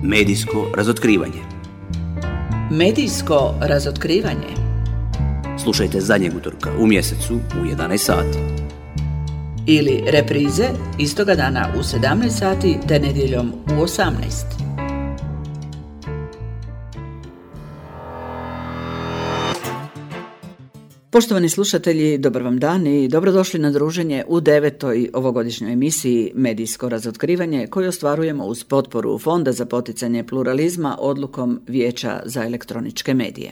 Medijsko razotkrivanje. Medijsko razotkrivanje. Slušajte zadnjeg utorka u mjesecu u 11 sati. Ili reprize istoga dana u 17 sati te nedjeljom u 18. Poštovani slušatelji, dobar vam dan i dobrodošli na druženje u 9. ovogodišnjoj emisiji Medijsko razotkrivanje koju ostvarujemo uz potporu Fonda za poticanje pluralizma odlukom Vijeća za elektroničke medije.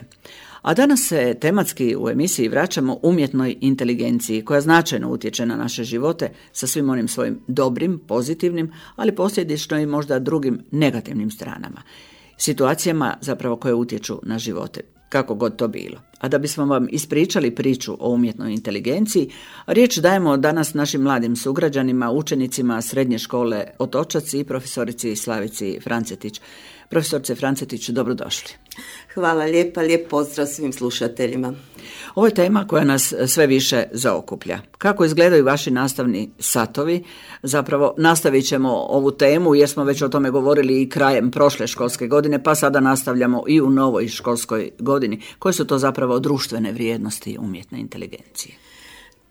A danas se tematski u emisiji vraćamo umjetnoj inteligenciji koja značajno utječe na naše živote sa svim onim svojim dobrim, pozitivnim, ali posljedično i možda drugim negativnim stranama. Situacijama zapravo koje utječu na živote, kako god to bilo. A da bismo vam ispričali priču o umjetnoj inteligenciji, riječ dajemo danas našim mladim sugrađanima, učenicima Srednje škole Otočac i profesorici Slavici Francetić. Profesorice Francetić, dobrodošli. Hvala lijepa, lijep pozdrav svim slušateljima. Ovo je tema koja nas sve više zaokuplja. Kako izgledaju vaši nastavni satovi? Zapravo nastavit ćemo ovu temu jer smo već o tome govorili i krajem prošle školske godine, pa sada nastavljamo i u novoj školskoj godini. Koje su to zapravo društvene vrijednosti umjetne inteligencije?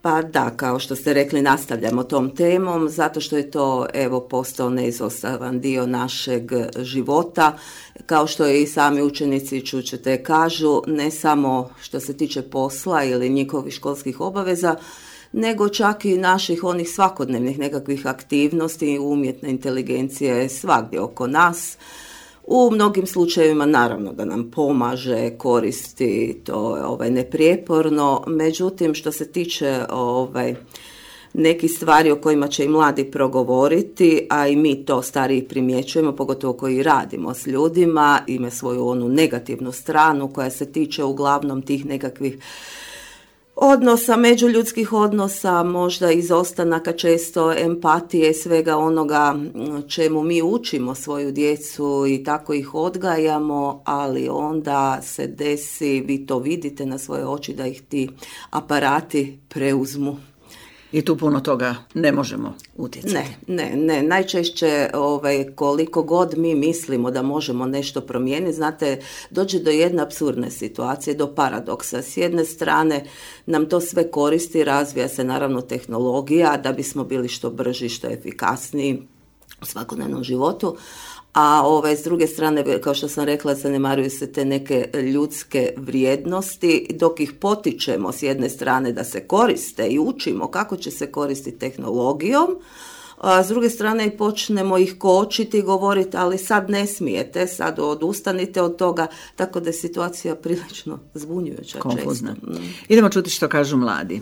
Pa da, kao što ste rekli, nastavljamo tom temom, zato što je to postao neizostavan dio našeg života. Kao što i sami učenici čućete kažu, ne samo što se tiče posla ili njihovih školskih obaveza, nego čak i naših onih svakodnevnih nekakvih aktivnosti. Umjetna inteligencija je svagdje oko nas. U mnogim slučajevima naravno da nam pomaže, koristi, to je neprijeporno, međutim što se tiče nekih stvari o kojima će i mladi progovoriti, a i mi to stariji primjećujemo, pogotovo koji radimo s ljudima, ima svoju onu negativnu stranu koja se tiče uglavnom tih nekakvih odnosa, međuljudskih odnosa, možda izostanaka često empatije, svega onoga čemu mi učimo svoju djecu i tako ih odgajamo, ali onda se desi, vi to vidite na svoje oči, da ih ti aparati preuzmu. I tu puno toga ne možemo utjecati. Ne. Najčešće koliko god mi mislimo da možemo nešto promijeniti, znate, dođe do jedne apsurdne situacije, do paradoksa. S jedne strane nam to sve koristi, razvija se naravno tehnologija da bismo bili što brži, što efikasniji u svakodnevnom životu, a s druge strane, kao što sam rekla, zanemaruju se te neke ljudske vrijednosti, dok ih potičemo s jedne strane da se koriste i učimo kako će se koristiti tehnologijom, a s druge strane i počnemo ih kočiti i govoriti, ali sad ne smijete, sad odustanite od toga, tako da je situacija prilično zbunjujuća. Konfuzna. Idemo čuti što kažu mladi.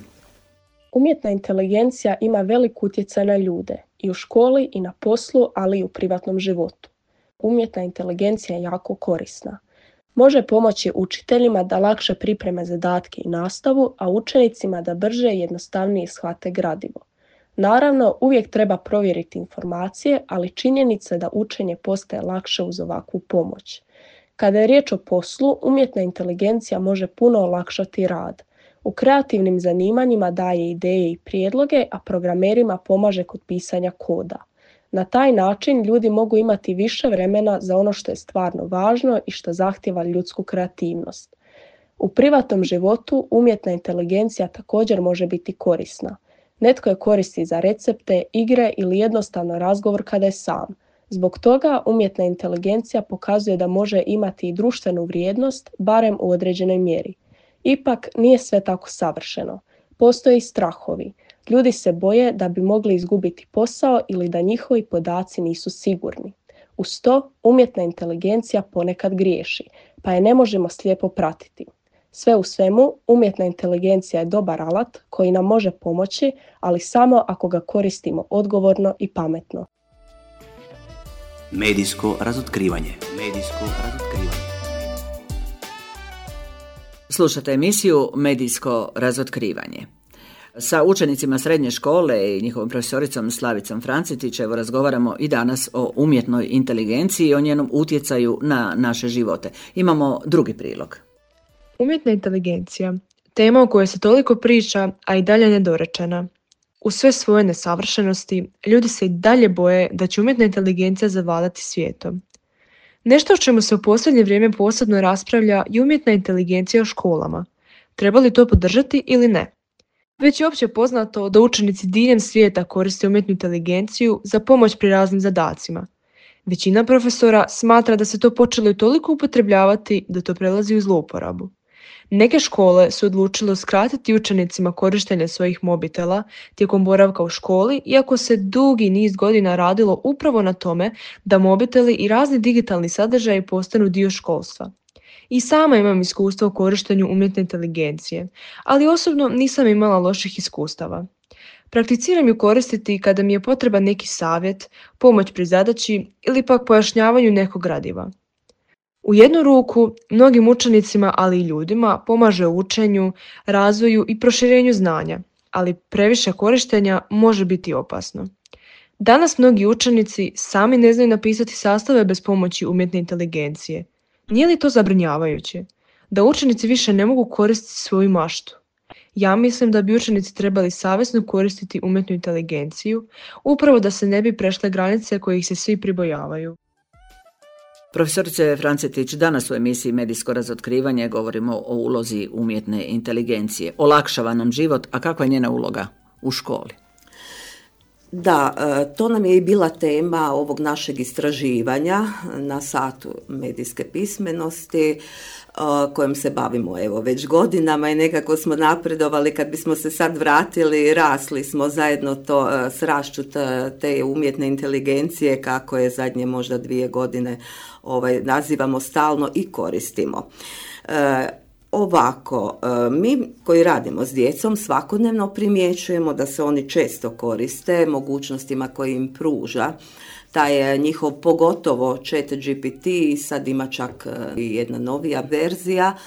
Umjetna inteligencija ima velik utjecaj na ljude, i u školi i na poslu, ali i u privatnom životu. Umjetna inteligencija je jako korisna. Može pomoći učiteljima da lakše pripreme zadatke i nastavu, a učenicima da brže i jednostavnije shvate gradivo. Naravno, uvijek treba provjeriti informacije, ali činjenica je da učenje postaje lakše uz ovakvu pomoć. Kada je riječ o poslu, umjetna inteligencija može puno olakšati rad. U kreativnim zanimanjima daje ideje i prijedloge, a programerima pomaže kod pisanja koda. Na taj način ljudi mogu imati više vremena za ono što je stvarno važno i što zahtijeva ljudsku kreativnost. U privatnom životu umjetna inteligencija također može biti korisna. Netko je koristi za recepte, igre ili jednostavno razgovor kada je sam. Zbog toga umjetna inteligencija pokazuje da može imati i društvenu vrijednost, barem u određenoj mjeri. Ipak nije sve tako savršeno. Postoje i strahovi. Ljudi se boje da bi mogli izgubiti posao ili da njihovi podaci nisu sigurni. Uz to, umjetna inteligencija ponekad griješi, pa je ne možemo slijepo pratiti. Sve u svemu, umjetna inteligencija je dobar alat koji nam može pomoći, ali samo ako ga koristimo odgovorno i pametno. Medijsko razotkrivanje. Slušate emisiju Medijsko razotkrivanje. Sa učenicima srednje škole i njihovom profesoricom Slavicom Francetić razgovaramo i danas o umjetnoj inteligenciji i o njenom utjecaju na naše živote. Imamo drugi prilog. Umjetna inteligencija, tema o kojoj se toliko priča, a i dalje nedorečena. U sve svoje nesavršenosti, ljudi se i dalje boje da će umjetna inteligencija zavladati svijetom. Nešto o čemu se u posljednje vrijeme posebno raspravlja je umjetna inteligencija u školama. Treba li to podržati ili ne? Već je opće poznato da učenici diljem svijeta koriste umjetnu inteligenciju za pomoć pri raznim zadacima. Većina profesora smatra da se to počelo i toliko upotrebljavati da to prelazi u zlouporabu. Neke škole su odlučile uskratiti učenicima korištenje svojih mobitela tijekom boravka u školi, iako se dugi niz godina radilo upravo na tome da mobiteli i razni digitalni sadržaji postanu dio školstva. I sama imam iskustva u korištenju umjetne inteligencije, ali osobno nisam imala loših iskustava. Prakticiram ju koristiti kada mi je potreban neki savjet, pomoć pri zadaći ili pak pojašnjavanju nekog gradiva. U jednu ruku, mnogim učenicima, ali i ljudima, pomaže u učenju, razvoju i proširenju znanja, ali previše korištenja može biti opasno. Danas mnogi učenici sami ne znaju napisati sastave bez pomoći umjetne inteligencije. Nije li to zabrinjavajuće? Da učenici više ne mogu koristiti svoju maštu? Ja mislim da bi učenici trebali savjesno koristiti umjetnu inteligenciju, upravo da se ne bi prešle granice kojih se svi pribojavaju. Profesorice Francetić, danas u emisiji Medijsko razotkrivanje govorimo o ulozi umjetne inteligencije. Olakšava nam život, a kakva je njena uloga u školi? Da, to nam je i bila tema ovog našeg istraživanja na satu medijske pismenosti kojom se bavimo već godinama i nekako smo napredovali. Kad bismo se sad vratili, rasli smo zajedno s rašću te umjetne inteligencije, kako je zadnje možda 2 godine nazivamo stalno i koristimo. Ovako, mi koji radimo s djecom svakodnevno primjećujemo da se oni često koriste mogućnostima koje im pruža taj njihov, pogotovo ChatGPT, sad ima čak i jedna novija verzija.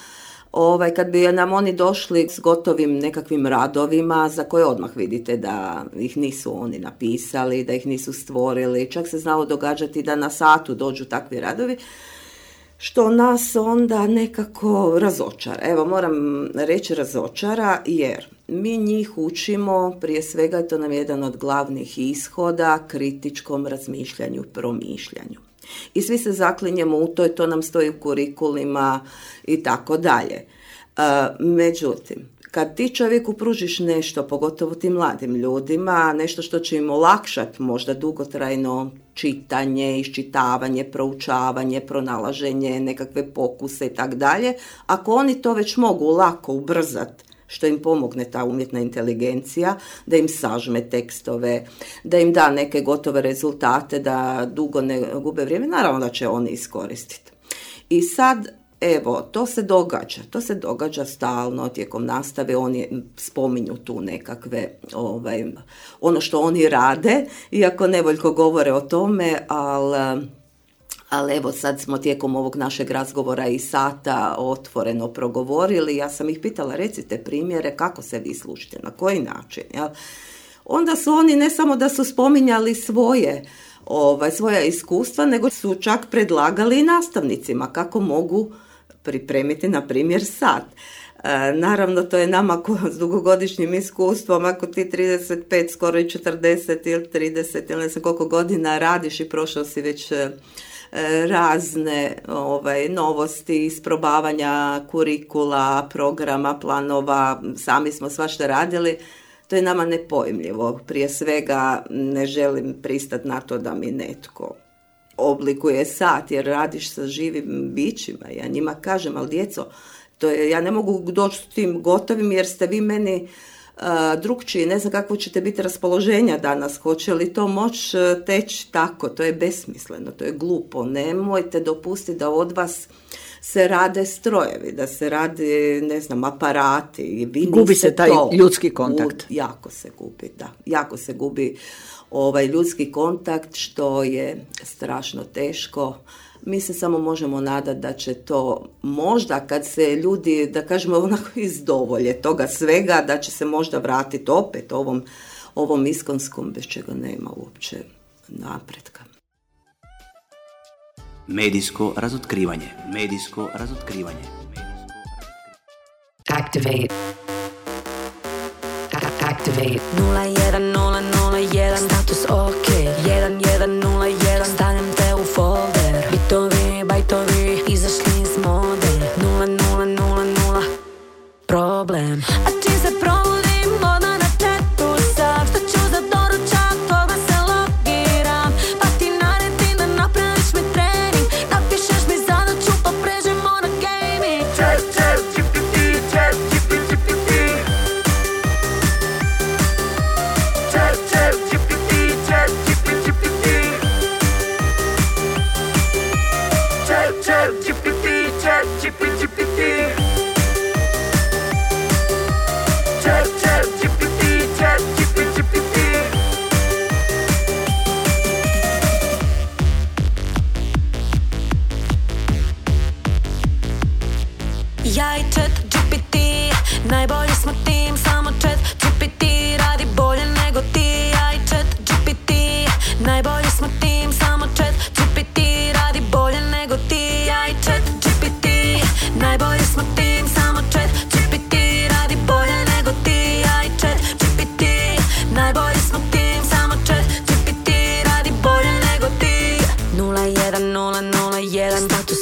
Kad bi nam oni došli s gotovim nekakvim radovima za koje odmah vidite da ih nisu oni napisali, da ih nisu stvorili, čak se znalo događati da na satu dođu takvi radovi, što nas onda nekako razočara. Evo, moram reći razočara jer mi njih učimo, prije svega to nam je jedan od glavnih ishoda, kritičkom razmišljanju, promišljanju. I svi se zaklinjemo u to nam stoji u kurikulima i tako dalje. Međutim, kad ti čovjeku pružiš nešto, pogotovo tim mladim ljudima, nešto što će im olakšati možda dugotrajno čitanje, iščitavanje, proučavanje, pronalaženje, nekakve pokuse i tako dalje, ako oni to već mogu lako ubrzati, što im pomogne ta umjetna inteligencija, da im sažme tekstove, da im da neke gotove rezultate, da dugo ne gube vrijeme, naravno da će oni iskoristiti. I sad, evo, to se događa stalno tijekom nastave, oni spominju tu nekakve, ono što oni rade, iako nevoljko govore o tome, ali evo sad smo tijekom ovog našeg razgovora i sata otvoreno progovorili, ja sam ih pitala, recite primjere kako se vi slušate, na koji način, jel? Onda su oni ne samo da su spominjali svoja iskustva, nego su čak predlagali i nastavnicima kako mogu pripremiti, na primjer, sat. Naravno, to je nama s dugogodišnjim iskustvom, ako ti 35, skoro i 40 ili 30 ili ne znam koliko godina radiš i prošao si već razne novosti, isprobavanja kurikula, programa, planova, sami smo svašta radili, to je nama nepojmljivo. Prije svega ne želim pristati na to da mi netko oblikuje sat, jer radiš sa živim bićima. Ja njima kažem, ali djeco, ja ne mogu doći s tim gotovim jer ste vi meni drugčiji, ne znam kakvo ćete biti raspoloženja danas, hoće li to moći teći tako, to je besmisleno, to je glupo, nemojte dopustiti da od vas se rade strojevi, da se rade, ne znam, aparati. Gubi se taj ljudski kontakt. Jako se gubi ljudski kontakt, što je strašno teško. Mi se samo možemo nadati da će to možda kad se ljudi, da kažemo onako izdovolje toga svega, da će se možda vratiti opet ovom iskonskom bez čega nema uopće napretka. Medijsko razotkrivanje. Activate 010001 status ok 1101 stavljam te u folder. Bitovi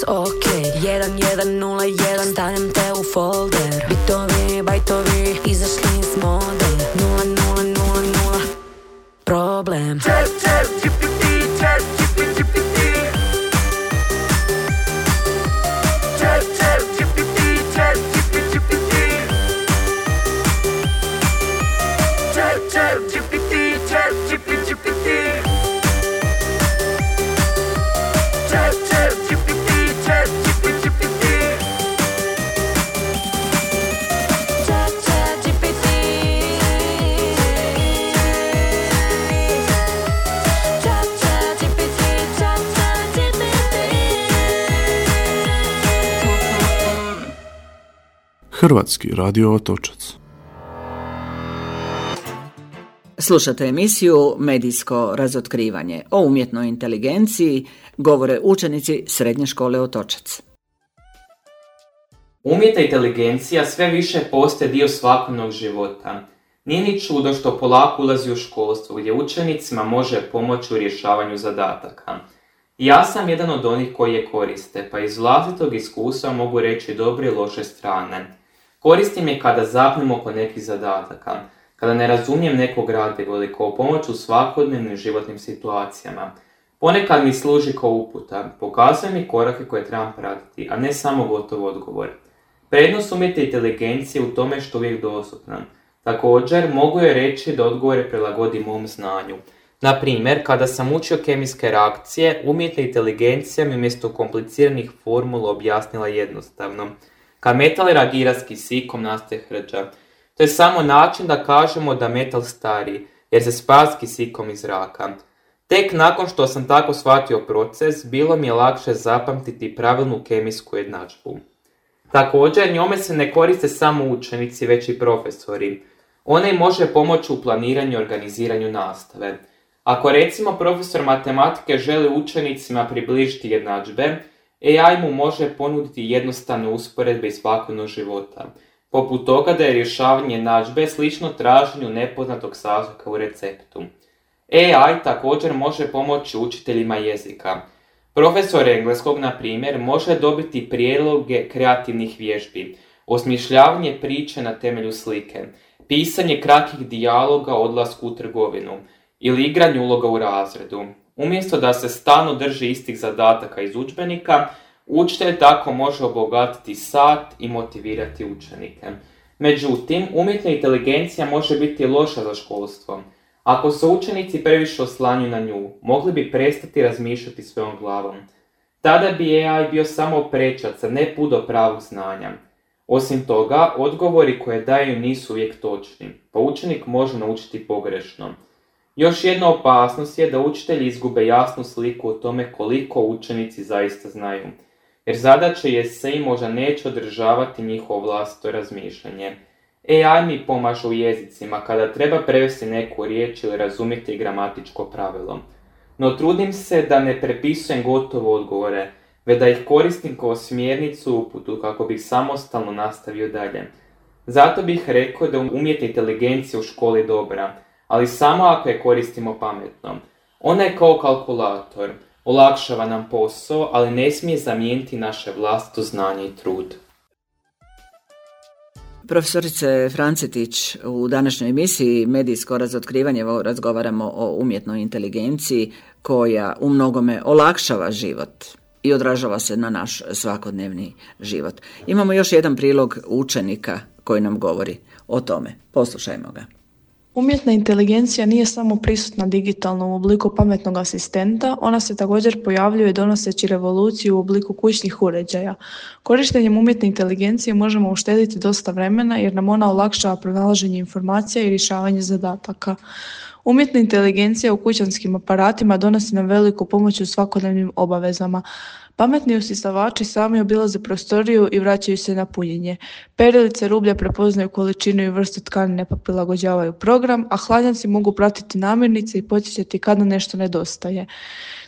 ok. 1101, stavljam te u folder. Bitovi, bajtovi, izašli iz mode. 0000, problem. Hrvatski radio Otočac. Slušate emisiju Medijsko razotkrivanje. O umjetnoj inteligenciji govore učenici Srednje škole Otočac. Umjetna inteligencija sve više postaje dio svakodnevnog života. Nije ni čudo što polako ulazi u školstvo gdje učenicima može pomoći u rješavanju zadataka. Ja sam jedan od onih koji je koriste, pa iz vlastitog iskustva mogu reći dobre i loše strane. Koristim je kada zapnem oko nekih zadataka, kada ne razumijem neko gradivo ili kao pomoć u svakodnevnim životnim situacijama. Ponekad mi služi kao uputa, pokazuje mi korake koje trebam pratiti, a ne samo gotov odgovor. Prednost umjetne inteligencije u tome što uvijek dostupna. Također, mogu je reći da odgovore prilagodi mom znanju. Na primjer, kada sam učio kemijske reakcije, umjetna inteligencija mi umjesto kompliciranih formula objasnila jednostavno. Kad metal reagira s kisikom, nastaje hrđa. To je samo način da kažemo da metal stari, jer se spaja s kisikom iz zraka. Tek nakon što sam tako shvatio proces, bilo mi je lakše zapamtiti pravilnu kemijsku jednadžbu. Također, njome se ne koriste samo učenici, već i profesori. Ona im može pomoći u planiranju i organiziranju nastave. Ako recimo profesor matematike želi učenicima približiti jednadžbe, AI mu može ponuditi jednostavne usporedbe iz svakodnevnog života, poput toga da je rješavanje jednadžbe slično traženju nepoznatog sastojka u receptu. AI također može pomoći učiteljima jezika. Profesor engleskog, na primjer, može dobiti prijedloge kreativnih vježbi, osmišljavanje priče na temelju slike, pisanje kratkih dijaloga o odlasku u trgovinu ili igranje uloga u razredu. Umjesto da se stalno drži istih zadataka iz udžbenika, učitelj tako može obogatiti sat i motivirati učenike. Međutim, umjetna inteligencija može biti loša za školstvo. Ako se učenici previše oslanjuju na nju, mogli bi prestati razmišljati svojom glavom. Tada bi AI bio samo prečac, a ne put do pravog znanja. Osim toga, odgovori koje daju nisu uvijek točni, pa učenik može naučiti pogrešno. Još jedna opasnost je da učitelji izgube jasnu sliku o tome koliko učenici zaista znaju, jer zadaća je se i možda neće održavati njihovo vlastito razmišljanje. AI mi pomaže u jezicima kada treba prevesti neku riječ ili razumjeti gramatičko pravilo. No trudim se da ne prepisujem gotove odgovore, već da ih koristim kao smjernicu u uputu kako bih samostalno nastavio dalje. Zato bih rekao da umjetna inteligencija u školi dobra, ali samo ako je koristimo pametno. Ona je kao kalkulator, olakšava nam posao, ali ne smije zamijeniti naše vlastito znanje i trud. Profesorice Francetić, u današnjoj emisiji Medijsko razotkrivanje razgovaramo o umjetnoj inteligenciji koja u mnogome olakšava život i odražava se na naš svakodnevni život. Imamo još jedan prilog učenika koji nam govori o tome. Poslušajmo ga. Umjetna inteligencija nije samo prisutna digitalno u obliku pametnog asistenta, ona se također pojavljuje donoseći revoluciju u obliku kućnih uređaja. Korištenjem umjetne inteligencije možemo uštediti dosta vremena jer nam ona olakšava pronalaženje informacija i rješavanje zadataka. Umjetna inteligencija u kućanskim aparatima donosi nam veliku pomoć u svakodnevnim obavezama. Pametni usisavači sami obilaze prostoriju i vraćaju se na punjenje. Perilice rublja prepoznaju količinu i vrstu tkanine pa prilagođavaju program, a hladnjaci mogu pratiti namirnice i podsjećati kada nešto nedostaje.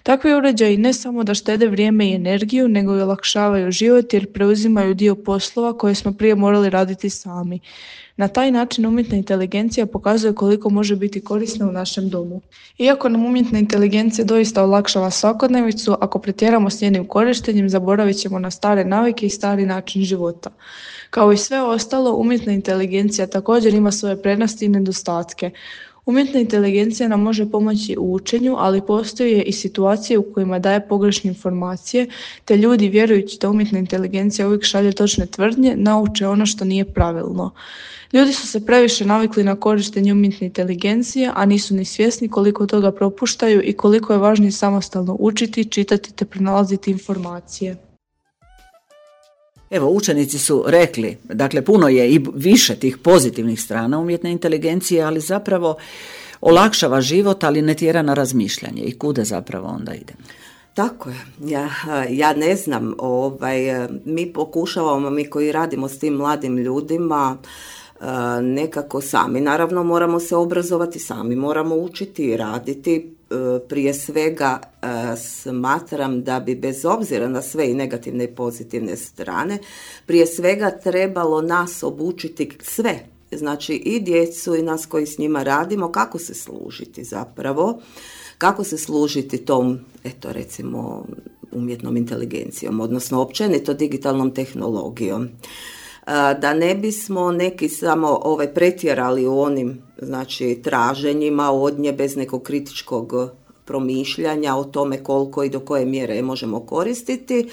Takvi uređaji ne samo da štede vrijeme i energiju, nego i olakšavaju život jer preuzimaju dio poslova koje smo prije morali raditi sami. Na taj način umjetna inteligencija pokazuje koliko može biti korisna u našem domu. Iako nam umjetna inteligencija doista olakšava svakodnevicu, ako pretjeramo s njenim korištenjem, zaboravit ćemo na stare navike i stari način života. Kao i sve ostalo, umjetna inteligencija također ima svoje prednosti i nedostatke. Umjetna inteligencija nam može pomoći u učenju, ali postoje i situacije u kojima daje pogrešne informacije, te ljudi, vjerujući da umjetna inteligencija uvijek šalje točne tvrdnje, nauče ono što nije pravilno. Ljudi su se previše navikli na korištenje umjetne inteligencije, a nisu ni svjesni koliko toga propuštaju i koliko je važnije samostalno učiti, čitati te pronalaziti informacije. Evo, učenici su rekli, dakle puno je i više tih pozitivnih strana umjetne inteligencije, ali zapravo olakšava život, ali ne tjera na razmišljanje. I kuda zapravo onda idemo? Tako je. Ja ne znam, mi pokušavamo, mi koji radimo s tim mladim ljudima, nekako sami. Naravno moramo se obrazovati sami, moramo učiti i raditi. Prije svega smatram da bi bez obzira na sve i negativne i pozitivne strane, prije svega trebalo nas obučiti sve, znači i djecu i nas koji s njima radimo, kako se služiti zapravo, kako se služiti tom, eto recimo, umjetnom inteligencijom, odnosno općenito digitalnom tehnologijom. Da ne bismo neki samo pretjerali u onim, znači, traženjima od nje bez nekog kritičkog promišljanja o tome koliko i do koje mjere je možemo koristiti,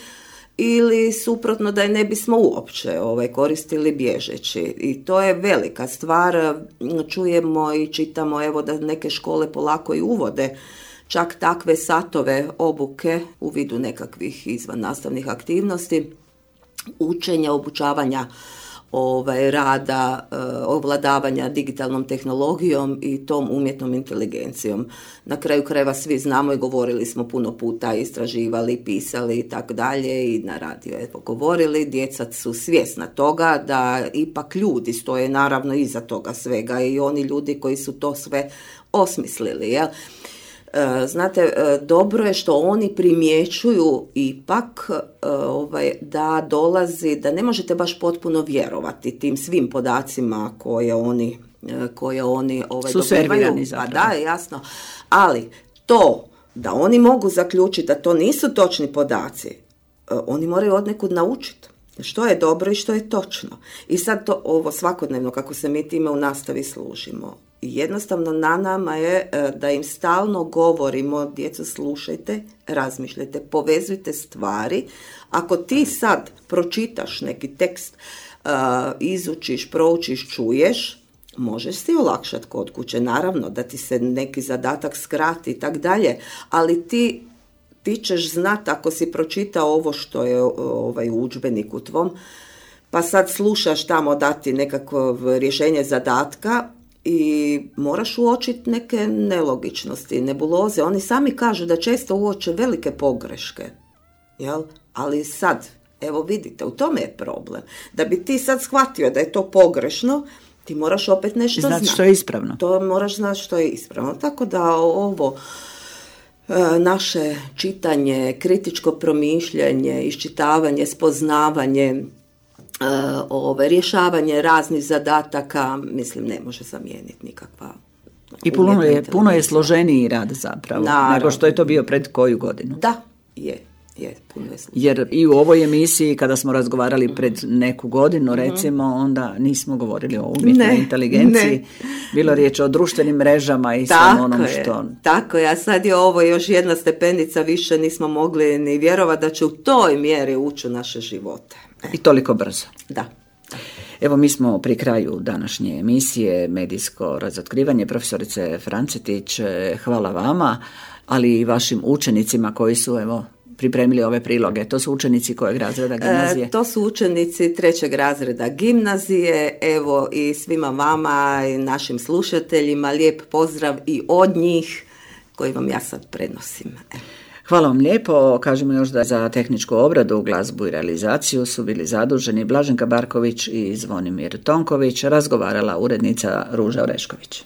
ili suprotno da je ne bismo uopće koristili bježeći. I to je velika stvar. Čujemo i čitamo evo da neke škole polako i uvode čak takve satove obuke u vidu nekakvih izvan nastavnih aktivnosti, učenja, obučavanja rada, ovladavanja digitalnom tehnologijom i tom umjetnom inteligencijom. Na kraju krajeva svi znamo i govorili smo puno puta, istraživali, pisali i tako dalje i na radiju je govorili. Djeca su svjesna toga da ipak ljudi stoje naravno iza toga svega i oni ljudi koji su to sve osmislili, jel? Znate, dobro je što oni primjećuju ipak da dolazi, da ne možete baš potpuno vjerovati tim svim podacima koje oni su servirani zapravo. Da, jasno. Ali to da oni mogu zaključiti da to nisu točni podaci, oni moraju odnekud naučiti što je dobro i što je točno. I sad to ovo svakodnevno kako se mi time u nastavi služimo. Jednostavno na nama je da im stalno govorimo, djeco slušajte, razmišljajte, povezujte stvari. Ako ti sad pročitaš neki tekst, izučiš, proučiš, čuješ, možeš si olakšati kod kuće, naravno da ti se neki zadatak skrati i tak dalje, ali ti ćeš znati ako si pročitao ovo što je u udžbeniku tvom, pa sad slušaš tamo dati nekakvo rješenje zadatka, i moraš uočiti neke nelogičnosti, nebuloze. Oni sami kažu da često uoče velike pogreške. Jel? Ali sad, evo vidite, u tome je problem. Da bi ti sad shvatio da je to pogrešno, ti moraš opet nešto znati. Što je ispravno. To moraš znati što je ispravno. Tako da ovo naše čitanje, kritičko promišljanje, iščitavanje, spoznavanje, rješavanje raznih zadataka, mislim, ne može zamijeniti nikakva. I puno je složeniji rad zapravo, nego što je to bio pred koju godinu. Da, je puno je složeniji. Jer i u ovoj emisiji kada smo razgovarali pred neku godinu, recimo, onda nismo govorili o umjetnoj inteligenciji. Bilo riječ o društvenim mrežama i samo onom što... Tako je, a sad je ovo još jedna stepenica više, nismo mogli ni vjerovati da će u toj mjeri ući u naše živote. I toliko brzo. Da. Evo, mi smo pri kraju današnje emisije Medijsko razotkrivanje. Profesorice Francetić, hvala vama, ali i vašim učenicima koji su pripremili ove priloge. To su učenici kojeg razreda gimnazije? To su učenici 3. razreda gimnazije. Evo, i svima vama i našim slušateljima lijep pozdrav i od njih koji vam ja sad prenosim. Hvala vam lijepo. Kažemo još da za tehničku obradu, glazbu i realizaciju su bili zaduženi Blaženka Barković i Zvonimir Tonković, razgovarala urednica Ruža Orešković.